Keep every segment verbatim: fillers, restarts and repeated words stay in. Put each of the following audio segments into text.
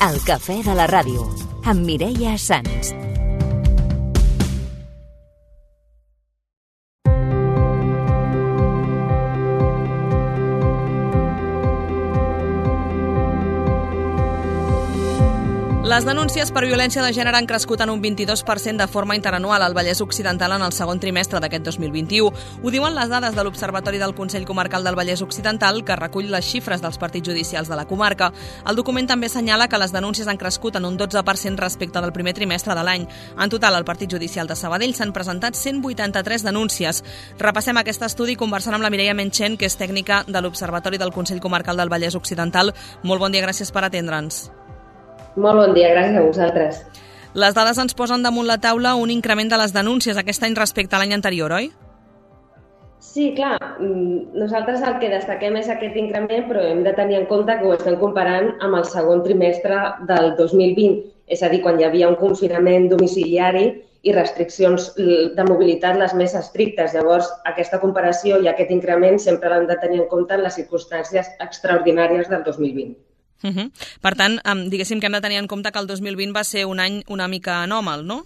El cafè de la ràdio, amb Mireia Sans. Les denúncies per violència de gènere han crescut en un vint-i-dos per cent de forma interanual al Vallès Occidental en el segon trimestre d'aquest dos mil vint-i-u. Ho diuen les dades de l'Observatori del Consell Comarcal del Vallès Occidental, que recull les xifres dels partits judicials de la comarca. El document també assenyala que les denúncies han crescut en un dotze per cent respecte del primer trimestre de l'any. En total, al Partit Judicial de Sabadell s'han presentat cent vuitanta-tres denúncies. Repassem aquest estudi conversant amb la Mireia Menchen, que és tècnica de l'Observatori del Consell Comarcal del Vallès Occidental. Molt bon dia, gràcies per atendre'ns. Molt bon dia, gràcies a vosaltres. Les dades ens posen damunt la taula un increment de les denúncies aquest any respecte a l'any anterior, oi? Sí, clar. Nosaltres el que destaquem és aquest increment, però hem de tenir en compte que ho estem comparant amb el segon trimestre del dos mil vint, és a dir, quan hi havia un confinament domiciliari i restriccions de mobilitat les més estrictes. Llavors, aquesta comparació i aquest increment sempre l'hem de tenir en compte en les circumstàncies extraordinàries del dos mil vint. Uh -huh. Per tant, diguéssim que hem de tenir en compte que el dos mil vint va ser un any una mica anòmal, no?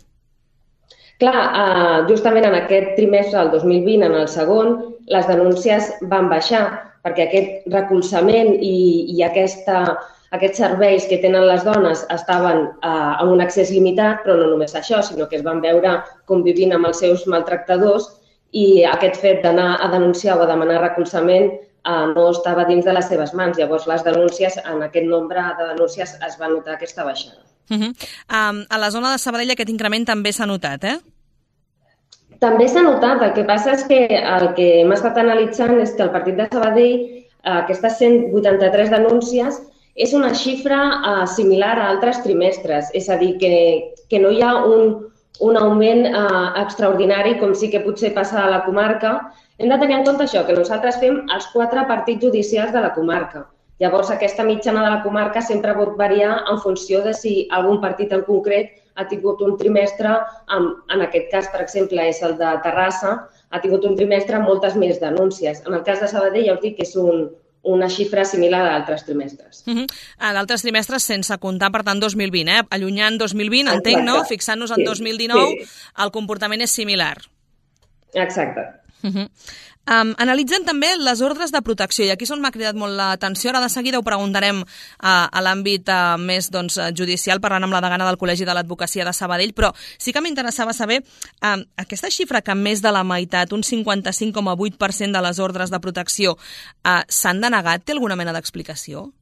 Clar, justament en aquest trimestre del dos mil vint, en el segon, les denúncies van baixar, perquè aquest recolzament i, i aquesta, aquests serveis que tenen les dones estaven eh, amb un accés limitat, però no només això, sinó que es van veure convivint amb els seus maltractadors i aquest fet d'anar a denunciar o a demanar recolzament no estava dins de les seves mans. Llavors, les denúncies, en aquest nombre de denúncies es va notar aquesta baixada. Uh -huh. um, a la zona de Sabadell aquest increment també s'ha notat, eh? També s'ha notat. El que passa és que el que hem estat analitzant és que el Partit de Sabadell, aquestes cent vuitanta-tres denúncies, és una xifra uh, similar a altres trimestres. És a dir, que, que no hi ha un, un augment uh, extraordinari com sí que potser passa a la comarca. Hem de tenir en compte això, que nosaltres fem els quatre partits judicials de la comarca. Llavors, aquesta mitjana de la comarca sempre pot variar en funció de si algun partit en concret ha tingut un trimestre, amb, en aquest cas, per exemple, és el de Terrassa, ha tingut un trimestre amb moltes més denúncies. En el cas de Sabadell, ja us dic que és un, una xifra similar a altres trimestres. Uh -huh. A d'altres trimestres sense comptar, per tant, dos mil vint, eh? Allunyant dos mil vint, entenc, no? Fixant-nos en sí, dos mil dinou, sí. El comportament és similar. Exacte. Uh -huh. um, analitzen també les ordres de protecció, i aquí és on m'ha cridat molt l'atenció. Ara de seguida ho preguntarem uh, a l'àmbit uh, més doncs, judicial, parlant amb la degana del Col·legi de l'Advocacia de Sabadell, però sí que m'interessava saber uh, aquesta xifra que més de la meitat, un cinquanta-cinc coma vuit per cent de les ordres de protecció uh, s'han denegat. Té alguna mena d'explicació?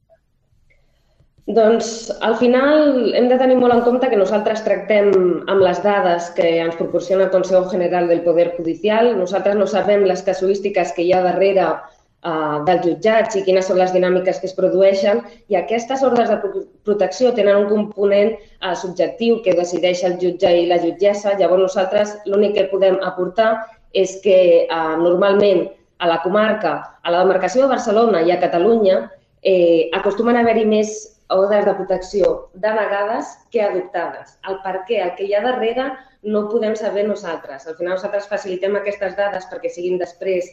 Doncs, al final, hem de tenir molt en compte que nosaltres tractem amb les dades que ens proporciona el Consejo General del Poder Judicial. Nosaltres no sabem les casuístiques que hi ha darrere uh, dels jutjats i quines són les dinàmiques que es produeixen, i aquestes ordres de protecció tenen un component uh, subjectiu que decideix el jutge i la jutgessa. Llavors, nosaltres l'únic que podem aportar és que uh, normalment a la comarca, a la demarcació de Barcelona i a Catalunya, eh, acostumen a haver-hi més ordres de protecció denegades que adoptades. El per què, el que hi ha darrere, no ho podem saber nosaltres. Al final nosaltres facilitem aquestes dades perquè siguin després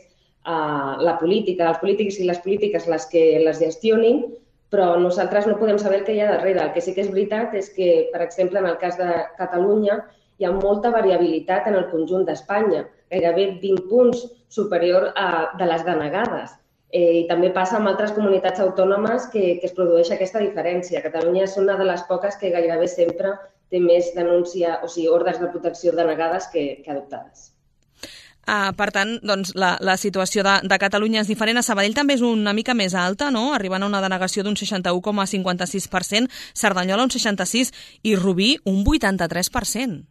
uh, la política, els polítics i les polítiques les que les gestionin, però nosaltres no podem saber el que hi ha darrere. El que sí que és veritat és que, per exemple, en el cas de Catalunya, hi ha molta variabilitat en el conjunt d'Espanya, gairebé vint punts superior a, de les denegades. Eh, I també passa amb altres comunitats autònomes que, que es produeix aquesta diferència. Catalunya és una de les poques que gairebé sempre té més denúncia, o sigui, ordres de protecció denegades que, que adoptades. Uh, per tant, doncs, la, la situació de, de Catalunya és diferent. A Sabadell també és una mica més alta, no? Arribant a una denegació d'un seixanta-u coma cinquanta-sis per cent, Cerdanyola un seixanta-sis i Rubí un vuitanta-tres per cent.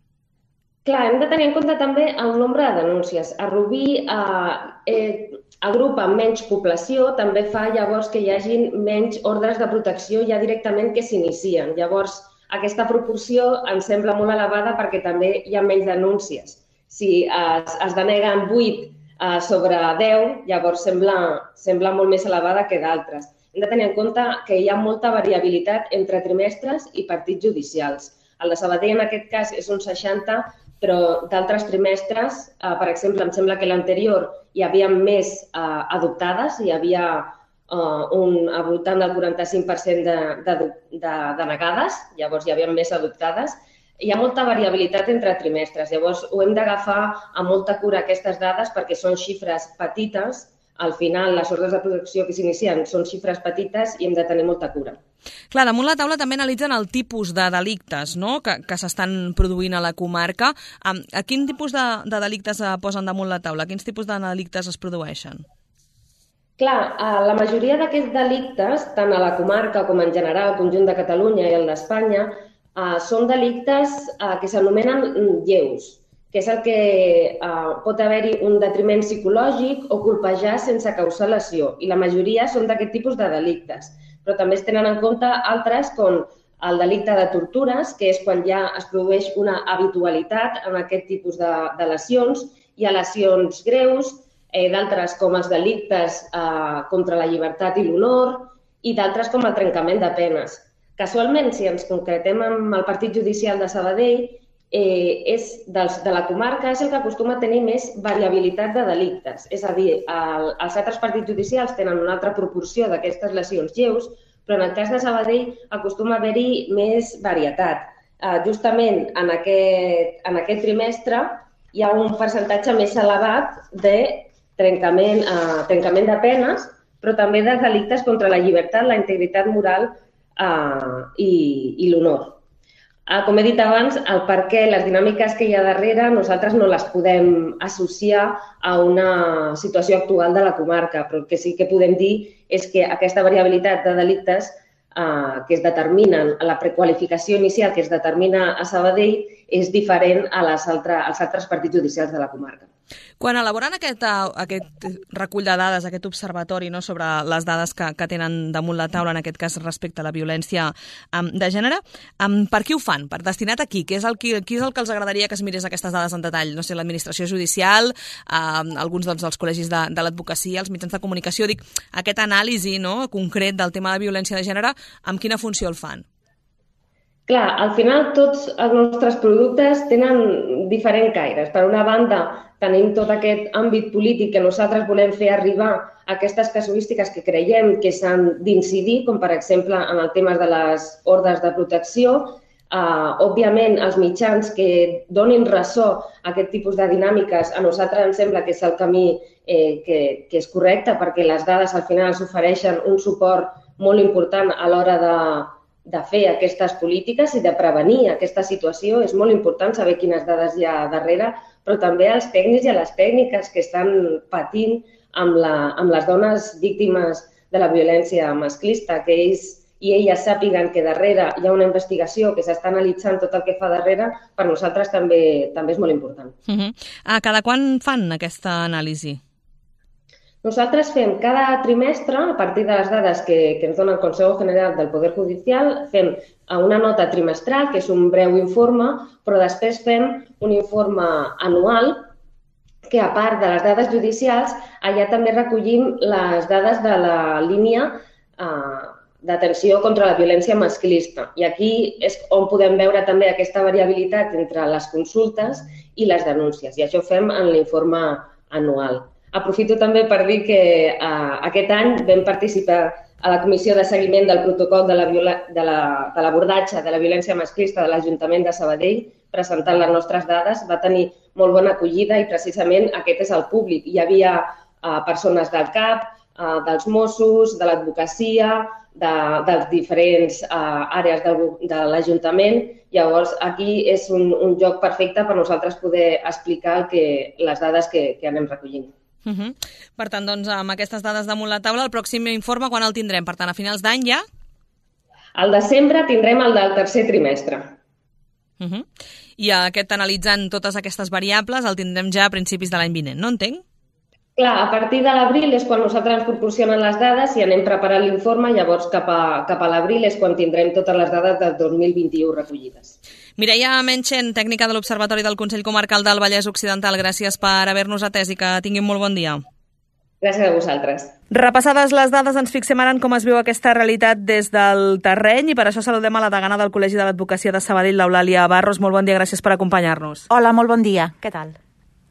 Clar, hem de tenir en compte també el nombre de denúncies. A Rubí eh, eh, agrupa menys població, també fa llavors que hi hagi menys ordres de protecció ja directament que s'inicien. Llavors, aquesta proporció ens sembla molt elevada perquè també hi ha menys denúncies. Si es, es deneguen vuit eh, sobre deu, llavors sembla, sembla molt més elevada que d'altres. Hem de tenir en compte que hi ha molta variabilitat entre trimestres i partits judicials. El de Sabadell, en aquest cas, és un seixanta, però d'altres trimestres, eh, per exemple, em sembla que l'anterior hi havia més eh, adoptades, hi havia uh, un, al voltant del quaranta-cinc per cent de, de, de denegades, llavors hi havia més adoptades. Hi ha molta variabilitat entre trimestres, llavors ho hem d'agafar amb molta cura aquestes dades perquè són xifres petites. Al final, les ordres de protecció que s'inicien són xifres petites i hem de tenir molta cura. Clar, damunt la taula també analitzen el tipus de delictes, no?, que, que s'estan produint a la comarca. A, a quin tipus de, de delictes posen damunt la taula? Quins tipus de delictes es produeixen? Clar, la majoria d'aquests delictes, tant a la comarca com en general, al conjunt de Catalunya i el d'Espanya, són delictes que s'anomenen lleus, que és el que eh, pot haver-hi un detriment psicològic o colpejar sense causar lesió. I la majoria són d'aquest tipus de delictes. Però també es tenen en compte altres com el delicte de tortures, que és quan ja es produeix una habitualitat en aquest tipus de, de lesions. Hi ha lesions greus, eh, d'altres com els delictes eh, contra la llibertat i l'honor i d'altres com el trencament de penes. Casualment, si ens concretem amb el partit judicial de Sabadell, Eh, és dels, de la comarca és el que acostuma a tenir més variabilitat de delictes. És a dir, el, els altres partits judicials tenen una altra proporció d'aquestes lesions lleus, però en el cas de Sabadell acostuma a haver-hi més varietat. Eh, justament en aquest, en aquest trimestre hi ha un percentatge més elevat de trencament, eh, trencament de penes, però també de delictes contra la llibertat, la integritat moral eh, i, i l'honor. Com he dit abans, el per què, les dinàmiques que hi ha darrere, nosaltres no les podem associar a una situació actual de la comarca, però el que sí que podem dir és que aquesta variabilitat de delictes eh, que es determinen, a la prequalificació inicial que es determina a Sabadell, és diferent a les altres, als altres partits judicials de la comarca. Quan elaboren aquest, aquest recull de dades, aquest observatori, no, sobre les dades que, que tenen damunt la taula, en aquest cas respecte a la violència um, de gènere, um, per qui ho fan? Per destinat a qui? Qui és, el, qui, qui és el que els agradaria que es mirés aquestes dades en detall? No sé, l'administració judicial, um, alguns doncs, dels col·legis de, de l'advocacia, els mitjans de comunicació. Dic, aquest anàlisi, no, concret del tema de violència de gènere, amb quina funció el fan? Clar, al final tots els nostres productes tenen diferents caires. Per una banda, tenim tot aquest àmbit polític que nosaltres volem fer arribar a aquestes casuístiques que creiem que s'han d'incidir, com per exemple en el tema de les ordres de protecció. Uh, òbviament, els mitjans que donin ressò a aquest tipus de dinàmiques, a nosaltres ens sembla que és el camí eh, que, que és correcte, perquè les dades al final ens ofereixen un suport molt important a l'hora de de fer aquestes polítiques i de prevenir aquesta situació. És molt important saber quines dades hi ha darrere, però també als tècnics i a les tècniques que estan patint amb, la, amb les dones víctimes de la violència masclista, que ells i elles sàpiguen que darrere hi ha una investigació que s'està analitzant tot el que fa darrere, per nosaltres també, també és molt important. Uh-huh. A cada quan fan aquesta anàlisi? Nosaltres fem cada trimestre, a partir de les dades que, que ens dona el Consejo General del Poder Judicial, fem una nota trimestral, que és un breu informe, però després fem un informe anual que, a part de les dades judicials, allà també recollim les dades de la línia eh, d'atenció contra la violència masclista. I aquí és on podem veure també aquesta variabilitat entre les consultes i les denúncies. I això ho fem en l'informe anual. Aprofito també per dir que eh, aquest any vam participar a la Comissió de Seguiment del Protocol de l'abordatge la, de, la, de la violència masclista de l'Ajuntament de Sabadell, presentant les nostres dades. Va tenir molt bona acollida i precisament aquest és el públic. Hi havia eh, persones del C A P, eh, dels Mossos, de l'advocacia, de, de diferents eh, àrees de, de l'Ajuntament. Llavors, aquí és un, un lloc perfecte per nosaltres poder explicar el que, les dades que, que anem recollint. Uh-huh. Per tant, doncs, amb aquestes dades damunt la taula, el pròxim informe quan el tindrem? Per tant, a finals d'any ja? Al desembre tindrem el del tercer trimestre. Uh-huh. I aquest, analitzant totes aquestes variables, el tindrem ja a principis de l'any vinent, no entenc? Clar, a partir de l'abril és quan nosaltres ens proporcionen les dades i anem preparant l'informe, llavors cap a, cap a l'abril és quan tindrem totes les dades del dos mil vint-i-u recollides. Mireia Menchen, tècnica de l'Observatori del Consell Comarcal del Vallès Occidental, gràcies per haver-nos atès i que tinguin molt bon dia. Gràcies a vosaltres. Repassades les dades, ens fixem ara en com es viu aquesta realitat des del terreny i per això saludem a la degana del Col·legi de l'Advocacia de Sabadell, l'Eulàlia Barros. Molt bon dia, gràcies per acompanyar-nos. Hola, molt bon dia. Què tal?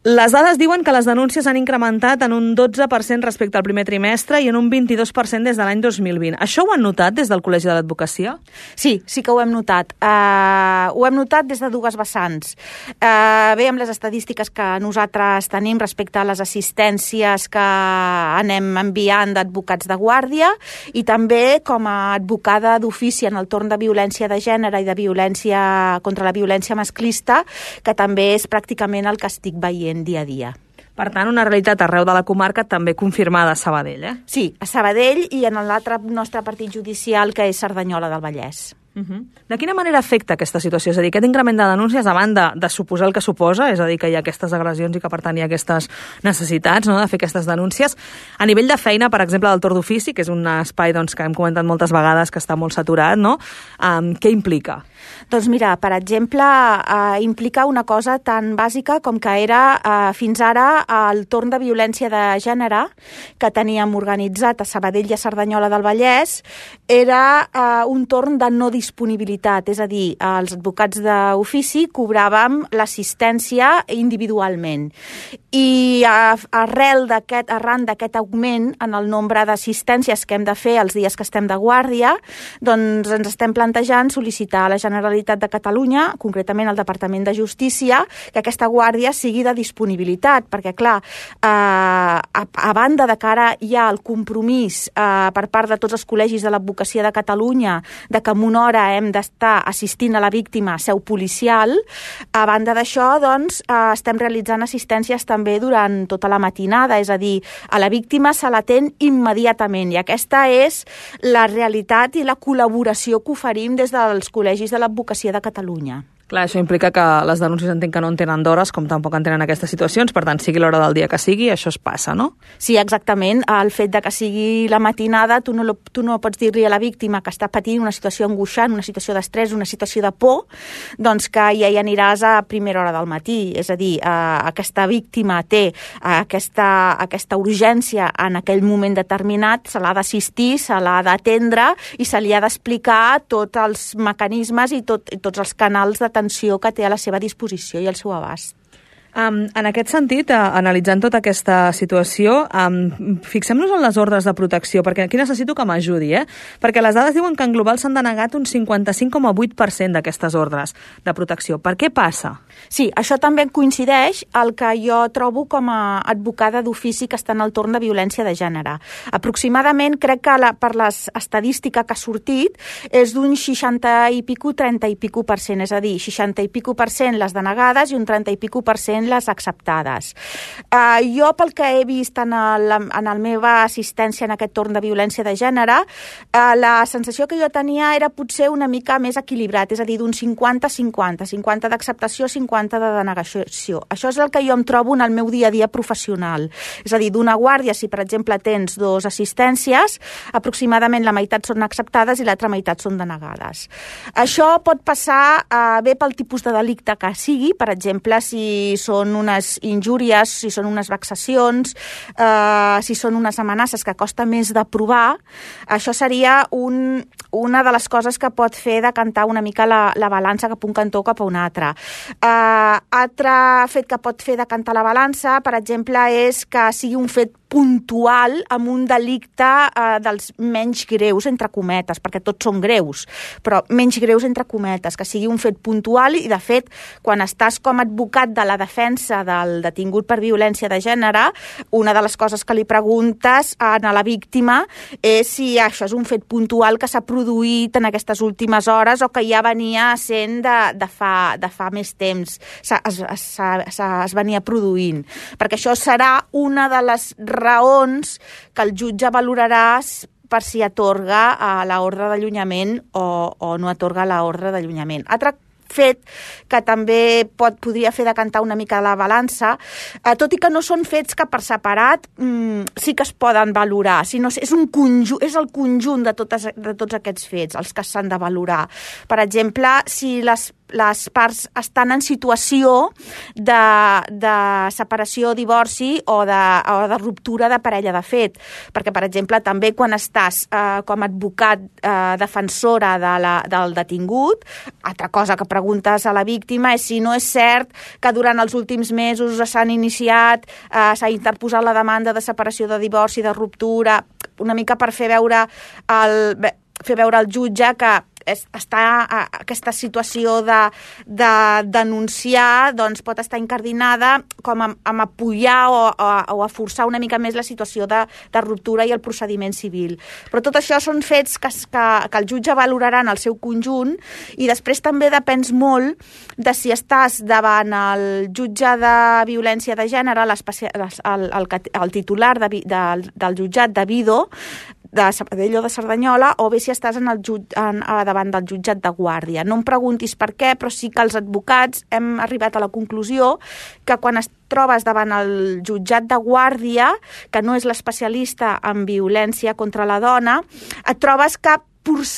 Les dades diuen que les denúncies han incrementat en un dotze per cent respecte al primer trimestre i en un vint-i-dos per cent des de l'any dos mil vint. Això ho han notat des del Col·legi de l'Advocacia? Sí, sí que ho hem notat. Uh, ho hem notat des de dues vessants. Uh, bé, amb les estadístiques que nosaltres tenim respecte a les assistències que anem enviant d'advocats de guàrdia i també com a advocada d'ofici en el torn de violència de gènere i de violència contra la violència masclista, que també és pràcticament el que estic veient dia a dia. Per tant, una realitat arreu de la comarca també confirmada a Sabadell, eh? Sí, a Sabadell i en l'altre nostre partit judicial, que és Cerdanyola del Vallès. Uh-huh. De quina manera afecta aquesta situació? És a dir, aquest increment de denúncies, a banda de suposar el que suposa, és a dir, que hi ha aquestes agressions i que, per tant, hi ha aquestes necessitats, no?, de fer aquestes denúncies. A nivell de feina, per exemple, del torn d'ofici, que és un espai doncs, que hem comentat moltes vegades que està molt saturat, no? Um, què implica? Doncs mira, per exemple, eh, implica una cosa tan bàsica com que era eh, fins ara el torn de violència de gènere que teníem organitzat a Sabadell i a Cerdanyola del Vallès era eh, un torn de no disponibilitat, és a dir, els advocats d'ofici cobràvem l'assistència individualment. I arrel d'aquest, arran d'aquest augment en el nombre d'assistències que hem de fer els dies que estem de guàrdia, doncs ens estem plantejant sol·licitar a la Generalitat de Catalunya, concretament al Departament de Justícia, que aquesta guàrdia sigui de disponibilitat, perquè, clar, eh, a, a banda de que ara hi ha el compromís eh, per part de tots els col·legis de l'advocacia de Catalunya de que en una hora hem d'estar assistint a la víctima a seu policial, a banda d'això, doncs, eh, estem realitzant assistències també durant tota la matinada, és a dir, a la víctima se l'atén immediatament, i aquesta és la realitat i la col·laboració que oferim des dels col·legis de l'advocacia de Catalunya. Clar, això implica que les denúncies entenc que no en tenen d'hores, com tampoc en tenen aquestes situacions, per tant, sigui l'hora del dia que sigui, això es passa, no? Sí, exactament. El fet de que sigui la matinada, tu no, tu no pots dir-li a la víctima que està patint una situació angoixant, una situació d'estrès, una situació de por, doncs que ja hi aniràs a primera hora del matí. És a dir, eh, aquesta víctima té aquesta, aquesta urgència en aquell moment determinat, se l'ha d'assistir, se l'ha d'atendre i se li ha d'explicar tots els mecanismes i, tot, i tots els canals de que té a la seva disposició i al seu abast. Um, en aquest sentit, uh, analitzant tota aquesta situació, um, fixem-nos en les ordres de protecció, perquè aquí necessito que m'ajudi, eh? Perquè les dades diuen que en global s'han denegat un cinquanta-cinc coma vuit per cent d'aquestes ordres de protecció. Per què passa? Sí, això també coincideix el que jo trobo com a advocada d'ofici que està en el torn de violència de gènere. Aproximadament, crec que la, per l'estadística que ha sortit, és d'un seixanta i pico, trenta i pico per cent, és a dir, seixanta i pico per cent les denegades i un trenta i pico per cent les acceptades. Uh, jo, pel que he vist en, el, en la meva assistència en aquest torn de violència de gènere, uh, la sensació que jo tenia era potser una mica més equilibrat, és a dir, d'un cinquanta cinquanta, cinquanta d'acceptació, cinquanta de denegació. Això és el que jo em trobo en el meu dia a dia professional. És a dir, d'una guàrdia, si per exemple tens dues assistències, aproximadament la meitat són acceptades i l'altra meitat són denegades. Això pot passar uh, bé pel tipus de delicte que sigui, per exemple, si són unes injúries, si són unes vexacions, eh, si són unes amenaces que costa més de provar, això seria un, una de les coses que pot fer decantar una mica la, la balança cap un cantó o cap a un altre. Eh, altre fet que pot fer decantar la balança, per exemple, és que sigui un fet puntual amb un delicte eh, dels menys greus, entre cometes, perquè tots són greus, però menys greus, entre cometes, que sigui un fet puntual i, de fet, quan estàs com a advocat de la defensa del detingut per violència de gènere, una de les coses que li preguntes a la víctima és si això és un fet puntual que s'ha produït en aquestes últimes hores o que ja venia sent de, de, fa, de fa més temps, es, es, es, es venia produint. Perquè això serà una de les raons que el jutge valorarà per si atorga l'ordre d'allunyament o, o no atorga l'ordre d'allunyament. Altre fet que també pot, podria fer decantar una mica la balança, eh, tot i que no són fets que per separat mm, sí que es poden valorar, sinó és, un conjunt, és el conjunt de, totes, de tots aquests fets els que s'han de valorar. Per exemple, si les les parts estan en situació de, de separació, divorci o de, o de ruptura de parella de fet. Perquè, per exemple, també quan estàs eh, com a advocat eh, defensora de la, del detingut, altra cosa que preguntes a la víctima és si no és cert que durant els últims mesos s'han iniciat, eh, s'ha interposat la demanda de separació, de divorci, de ruptura, una mica per fer veure el, fer veure al jutge que està aquesta situació de, de denunciar, doncs pot estar incardinada com a, a apoyar o, o, o a forçar una mica més la situació de, de ruptura i el procediment civil. Però tot això són fets que, que, que el jutge valorarà en el seu conjunt i després també depens molt de si estàs davant el jutge de violència de gènere, el, el, el titular de, de, del jutjat de Vido, de Sabadell o de Cerdanyola, o bé si estàs en el jut, en, davant del jutjat de Guàrdia. No em preguntis per què, però sí que els advocats hem arribat a la conclusió que quan es trobes davant el jutjat de Guàrdia, que no és l'especialista en violència contra la dona, et trobes que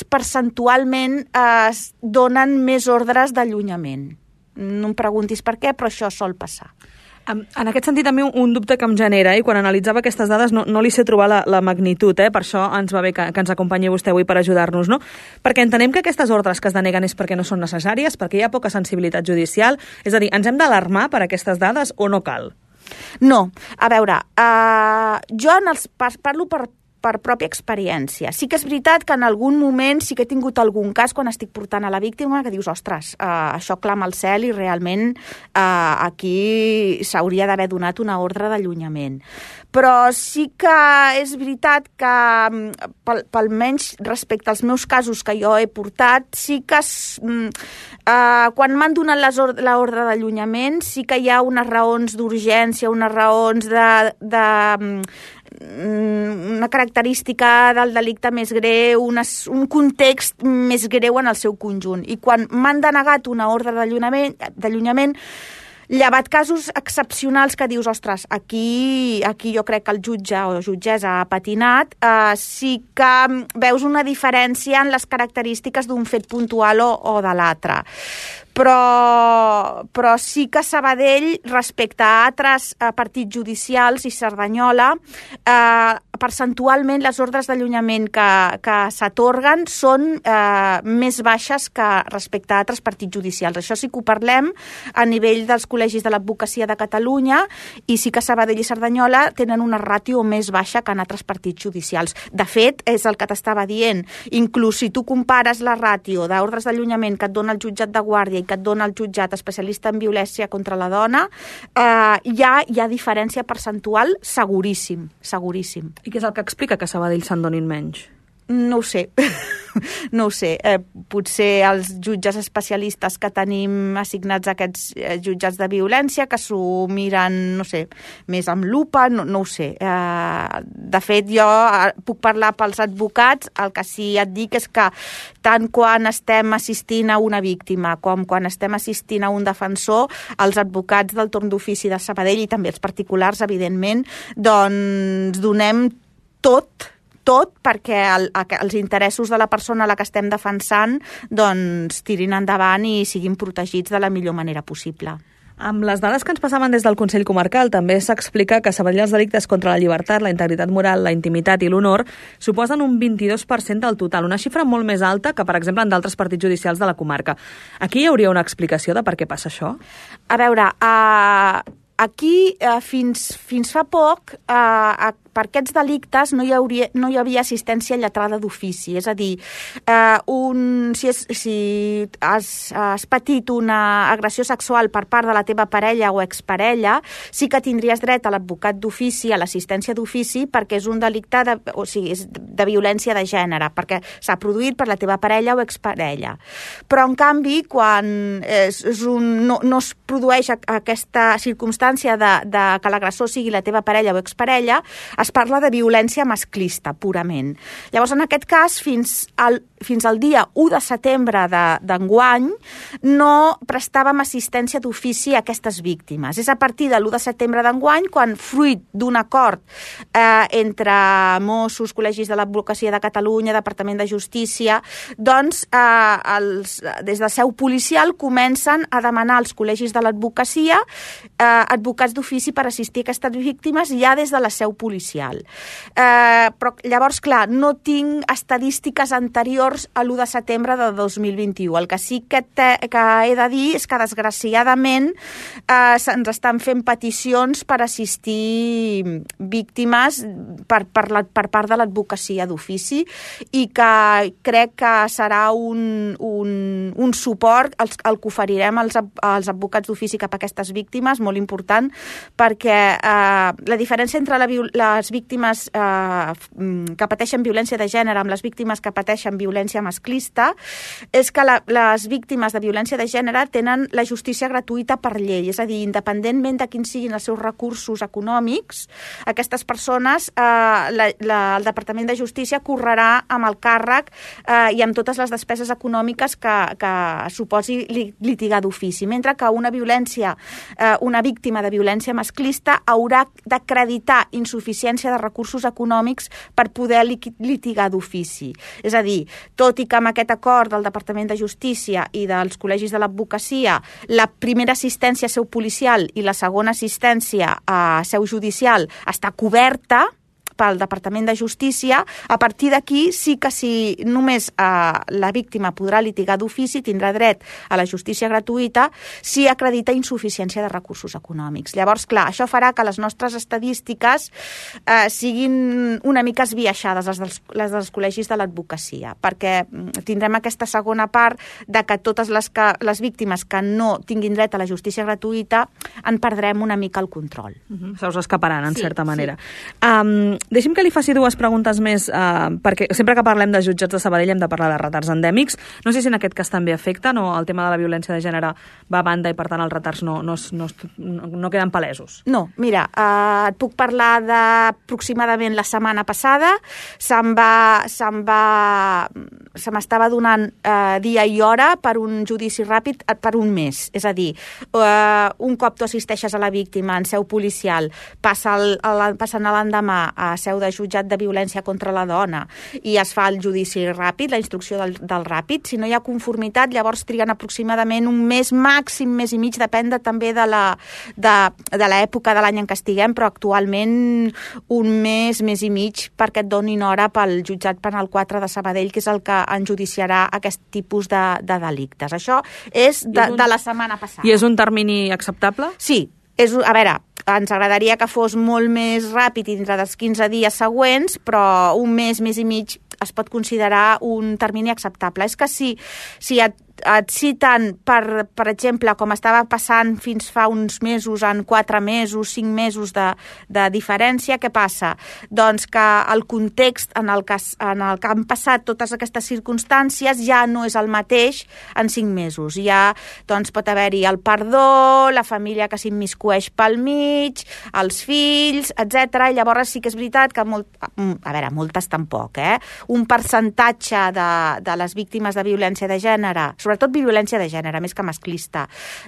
percentualment es donen més ordres d'allunyament. No em preguntis per què, però això sol passar. En aquest sentit, a mi un dubte que em genera, i quan analitzava aquestes dades no, no li sé trobar la, la magnitud, eh? Per això ens va bé que, que ens acompanyi vostè avui per ajudar-nos, no? Perquè entenem que aquestes ordres que es deneguen és perquè no són necessàries, perquè hi ha poca sensibilitat judicial, és a dir, ens hem d'alarmar per aquestes dades o no cal? No, a veure, uh, jo en els, parlo per per pròpia experiència. Sí que és veritat que en algun moment sí que he tingut algun cas quan estic portant a la víctima que dius, ostres, eh, això clama al cel i realment eh, aquí s'hauria d'haver donat una ordre d'allunyament. Però sí que és veritat que, pel, pel menys respecte als meus casos que jo he portat, sí que eh, quan m'han donat l'ordre d'allunyament sí que hi ha unes raons d'urgència, unes raons de... de una característica del delicte més greu, una, un context més greu en el seu conjunt. I quan m'han denegat una ordre d'allunyament, llevat casos excepcionals que dius, ostres, aquí, aquí jo crec que el jutge o jutgessa ha patinat, eh, sí que veus una diferència en les característiques d'un fet puntual o, o de l'altre. Però, però sí que Sabadell, respecte a altres eh, partits judicials i Cerdanyola, eh, percentualment les ordres d'allunyament que, que s'atorguen són eh, més baixes que respecte a altres partits judicials. Això sí que ho parlem a nivell dels col·legis de l'advocacia de Catalunya i sí que Sabadell i Cerdanyola tenen una ràtio més baixa que en altres partits judicials. De fet, és el que t'estava dient. Inclús si tu compares la ràtio d'ordres d'allunyament que et dona el jutjat de Guàrdia i que et dona el jutjat especialista en violència contra la dona, eh, hi, ha, hi ha diferència percentual seguríssim, seguríssim. I què és el que explica que a Sabadell se'n donin menys? No ho sé, no ho sé. Eh, potser els jutges especialistes que tenim assignats a aquests eh, jutjats de violència, que s'ho miren, no sé, més amb lupa, no, no ho sé. Eh, de fet, jo puc parlar pels advocats, el que sí et dic és que tant quan estem assistint a una víctima com quan estem assistint a un defensor, els advocats del torn d'ofici de Sabadell i també els particulars, evidentment, doncs donem tot, tot perquè el, els interessos de la persona a la que estem defensant doncs tirin endavant i siguin protegits de la millor manera possible. Amb les dades que ens passaven des del Consell Comarcal també s'explica que a Sabadell els delictes contra la llibertat, la integritat moral, la intimitat i l'honor suposen un vint-i-dos per cent del total, una xifra molt més alta que, per exemple, en d'altres partits judicials de la comarca. Aquí hi hauria una explicació de per què passa això? A veure, uh, aquí uh, fins, fins fa poc uh, per aquests delictes no hi, hauria, no hi havia assistència lletrada d'ofici. És a dir, eh, un, si, és, si has, has patit una agressió sexual per part de la teva parella o exparella, sí que tindries dret a l'advocat d'ofici, a l'assistència d'ofici, perquè és un delicte de, o sigui, és de violència de gènere, perquè s'ha produït per la teva parella o exparella. Però, en canvi, quan és, és un, no, no es produeix aquesta circumstància de, de que l'agressor sigui la teva parella o exparella, es parla de violència masclista, purament. Llavors, en aquest cas, fins al, fins al dia u de setembre d'enguany, no prestàvem assistència d'ofici a aquestes víctimes. És a partir de l'u de setembre d'enguany, quan, fruit d'un acord eh, entre Mossos, col·legis de l'Advocacia de Catalunya, Departament de Justícia, doncs, eh, els, des de seu policial comencen a demanar als col·legis de l'advocacia eh, advocats d'ofici per assistir a aquestes víctimes ja des de la seu policial. judicial. Eh, però llavors, clar, no tinc estadístiques anteriors a l'u de setembre de dos mil vint-i-u. El que sí que, te, que he de dir és que, desgraciadament, eh, se'ns estan fent peticions per assistir víctimes per, per, la, per part de l'advocacia d'ofici i que crec que serà un, un, un suport el, el que oferirem als, als advocats d'ofici cap a aquestes víctimes, molt important, perquè eh, la diferència entre la, les víctimes eh, que pateixen violència de gènere amb les víctimes que pateixen violència masclista és que la, les víctimes de violència de gènere tenen la justícia gratuïta per llei, és a dir, independentment de quins siguin els seus recursos econòmics, aquestes persones, eh, la, la, el Departament de Justícia correrà amb el càrrec eh, i amb totes les despeses econòmiques que, que suposi litigar d'ofici, mentre que una violència, eh, una víctima de violència masclista haurà d'acreditar insuficiència de recursos econòmics per poder litigar d'ofici. És a dir, tot i que amb aquest acord del Departament de Justícia i dels col·legis de l'advocacia la primera assistència a seu policial i la segona assistència a seu judicial està coberta pel Departament de Justícia, a partir d'aquí sí que si només eh, la víctima podrà litigar d'ofici, tindrà dret a la justícia gratuïta si acredita insuficiència de recursos econòmics. Llavors, clar, això farà que les nostres estadístiques eh, siguin una mica esbiaixades, les dels, les dels col·legis de l'advocacia, perquè tindrem aquesta segona part de que totes les, que, les víctimes que no tinguin dret a la justícia gratuïta en perdrem una mica el control. Uh-huh. Se us escaparan, en sí, certa manera. Sí. Um, Deixi'm que li faci dues preguntes més, eh, perquè sempre que parlem de jutjats de Sabadell hem de parlar de retards endèmics. No sé si en aquest cas també afecten o el tema de la violència de gènere va a banda i, per tant, els retards no, no, no, no queden palesos. No, mira, eh, et puc parlar d'aproximadament la setmana passada. Se'm va, se'm va, se m'estava donant eh, dia i hora per un judici ràpid per un mes. És a dir, eh, un cop tu assisteixes a la víctima en seu policial, passa el, el, passant a l'endemà a seu de jutjat de violència contra la dona i es fa el judici ràpid, la instrucció del, del ràpid. Si no hi ha conformitat, llavors triguen aproximadament un mes, màxim mes i mig, depèn de, també de la de, de l'època de l'any en què estiguem, però actualment un mes, mes i mig, perquè et donin hora pel jutjat penal quatre de Sabadell, que és el que enjudiciarà aquest tipus de, de delictes. Això és de, un... de la setmana passada. I és un termini acceptable? Sí. És, a veure, ens agradaria que fos molt més ràpid i dintre dels quinze dies següents, però un mes, mes i mig es pot considerar un termini acceptable. És que si, si et, et citen, per, per exemple, com estava passant fins fa uns mesos, en quatre mesos, cinc mesos de, de diferència, què passa? Doncs que el context en el que, en el que han passat totes aquestes circumstàncies ja no és el mateix en cinc mesos. Ja doncs, pot haver-hi el perdó, la família que s'immiscueix pel mig, els fills, etcètera. I llavors sí que és veritat que, molt, a veure, moltes tampoc, eh? Un percentatge de, de les víctimes de violència de gènere, sobretot violència de gènere, més que masclista,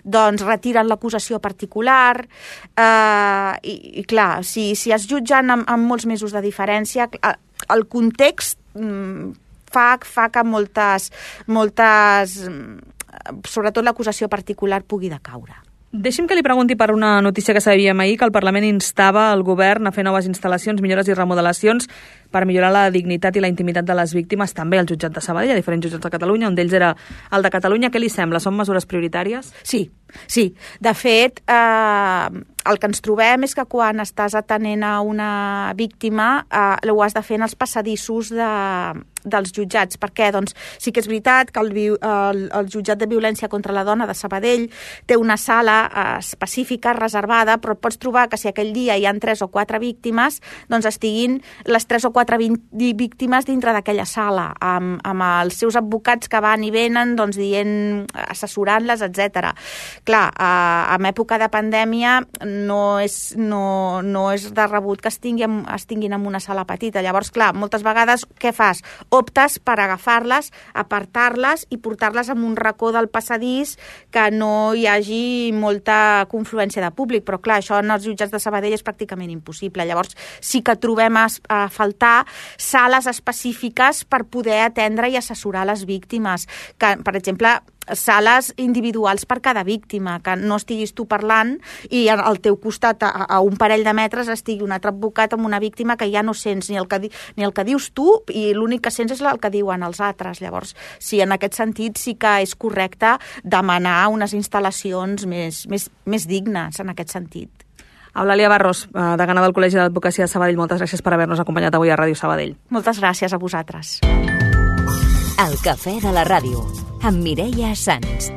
doncs retiren l'acusació particular eh, i, i clar, si, si es jutgen amb, amb molts mesos de diferència, el context mm, fa, fa que moltes, moltes, sobretot l'acusació particular pugui decaure. Deixi'm que li pregunti per una notícia que sabíem ahir, que el Parlament instava el govern a fer noves instal·lacions, millores i remodelacions per millorar la dignitat i la intimitat de les víctimes, també al jutjat de Sabadell, a diferents jutjats de Catalunya, un d'ells era el de Catalunya. Què li sembla? Són mesures prioritàries? Sí, sí. De fet, eh, el que ens trobem és que quan estàs atenent a una víctima eh, ho has de fer en els passadissos de, dels jutjats. Per què? Doncs sí que és veritat que el, el, el jutjat de violència contra la dona de Sabadell té una sala eh, específica, reservada, però pots trobar que si aquell dia hi ha tres o quatre víctimes, doncs estiguin les tres o quatre víctimes dintre d'aquella sala, amb, amb els seus advocats que van i venen, doncs dient, assessorant-les, etcètera. Clar, eh, en època de pandèmia no és, no, no és de rebut que estiguin, estiguin en una sala petita. Llavors, clar, moltes vegades què fas? Optes per agafar-les, apartar-les i portar-les en un racó del passadís que no hi hagi molta confluència de públic, però clar, això en els jutjats de Sabadell és pràcticament impossible. Llavors sí que trobem a, a faltar sales específiques per poder atendre i assessorar les víctimes. Que, per exemple, sales individuals per cada víctima, que no estiguis tu parlant i al teu costat, a, a un parell de metres, estigui un altre advocat amb una víctima que ja no sents ni el que, di, ni el que dius tu i l'únic que sents és el que diuen els altres. Llavors, sí, en aquest sentit sí que és correcte demanar unes instal·lacions més, més, més dignes en aquest sentit. Eulàlia Barros, degana del Col·legi d'Advocacia de Sabadell, moltes gràcies per haver-nos acompanyat avui a Ràdio Sabadell. Moltes gràcies a vosaltres. El cafè de la ràdio, amb Mireia Sans.